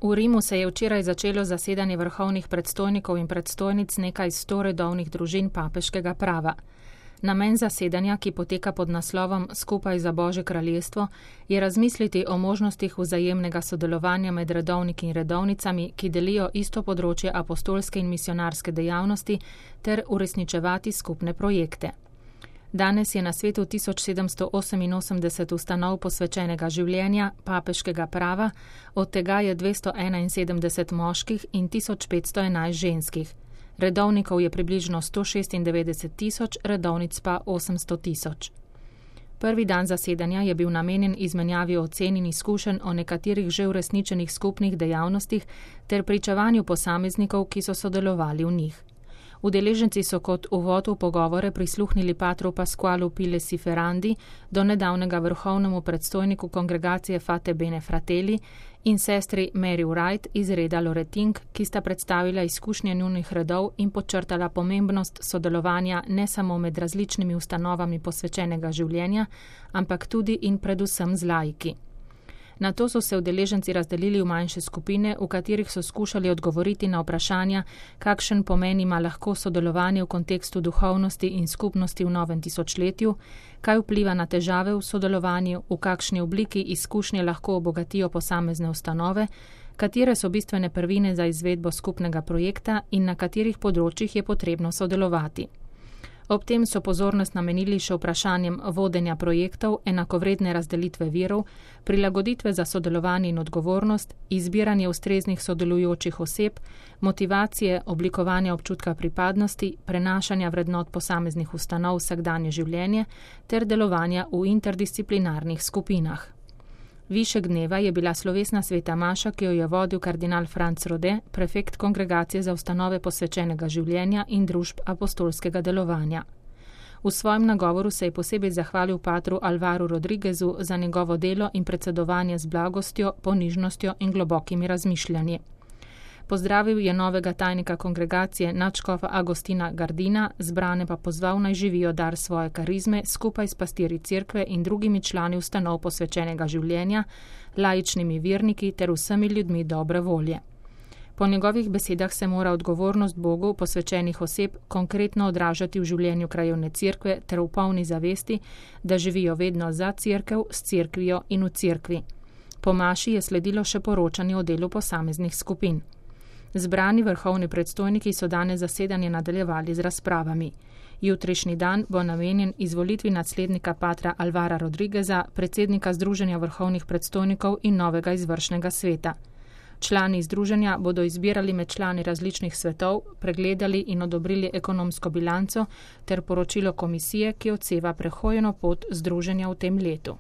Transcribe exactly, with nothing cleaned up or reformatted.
V Rimu se je včeraj začelo zasedanje vrhovnih predstojnikov in predstojnic nekaj sto redovnih družin papeškega prava. Namen zasedanja, ki poteka pod naslovom Skupaj za Božje kraljestvo, je razmisliti o možnostih vzajemnega sodelovanja med redovniki in redovnicami, ki delijo isto področje apostolske in misionarske dejavnosti, ter uresničevati skupne projekte. Danes je na svetu tisoč sedemsto oseminosemdeset ustanov posvečenega življenja, papeškega prava, od tega je dvesto enainsedemdeset moških in tisoč petsto enajst ženskih. Redovnikov je približno sto šestindevetdeset tisoč, redovnic pa osemsto tisoč. Prvi dan zasedanja je bil namenjen izmenjavi ocen in izkušenj o nekaterih že uresničenih skupnih dejavnostih ter pričevanju posameznikov, ki so sodelovali v njih. Udeleženci so kot uvod v pogovore prisluhnili patru Pasqualu Pilesi Ferrandi, do nedavnega vrhovnemu predstojniku kongregacije Fate Bene Fratelli, in sestri Mary Wright iz reda Loretink, ki sta predstavila izkušnje njunih redov in podčrtala pomembnost sodelovanja ne samo med različnimi ustanovami posvečenega življenja, ampak tudi in predvsem z laiki. Nato so se udeleženci razdelili v manjše skupine, v katerih so skušali odgovoriti na vprašanja, kakšen pomen ima lahko sodelovanje v kontekstu duhovnosti in skupnosti v novem tisočletju, kaj vpliva na težave v sodelovanju, v kakšni obliki izkušnje lahko obogatijo posamezne ustanove, katere so bistvene prvine za izvedbo skupnega projekta in na katerih področjih je potrebno sodelovati. Ob tem so pozornost namenili še vprašanjem vodenja projektov, enakovredne razdelitve virov, prilagoditve za sodelovanje in odgovornost, izbiranje ustreznih sodelujočih oseb, motivacije, oblikovanja občutka pripadnosti, prenašanja vrednot posameznih ustanov v vsakdanje življenje ter delovanja v interdisciplinarnih skupinah. Višek dneva je bila slovesna sveta maša, ki jo je vodil kardinal Franc Rode, prefekt kongregacije za ustanove posvečenega življenja in družb apostolskega delovanja. V svojem nagovoru se je posebej zahvalil patru Alvaru Rodriguezu za njegovo delo in predsedovanje z blagostjo, ponižnostjo in globokimi razmišljanji. Pozdravil je novega tajnika kongregacije nadškofa Agostina Gardina, zbrane pa pozval naj živijo dar svoje karizme skupaj s pastirji cerkve in drugimi člani ustanov posvečenega življenja, laičnimi verniki ter vsemi ljudmi dobre volje. Po njegovih besedah se mora odgovornost Bogu posvečenih oseb konkretno odražati v življenju krajevne cerkve ter v polni zavesti, da živijo vedno za cerkev, s cerkvijo in v cerkvi. Po maši je sledilo še poročanje o delu posameznih skupin. Zbrani vrhovni predstojniki so danes zasedanje nadaljevali z razpravami. Jutrišnji dan bo namenjen izvolitvi naslednika patra Alvara Rodrigueza, predsednika Združenja vrhovnih predstojnikov in novega izvršnega sveta. Člani združenja bodo izbirali med člani različnih svetov, pregledali in odobrili ekonomsko bilanco ter poročilo komisije, ki odseva prehojeno pot združenja v tem letu.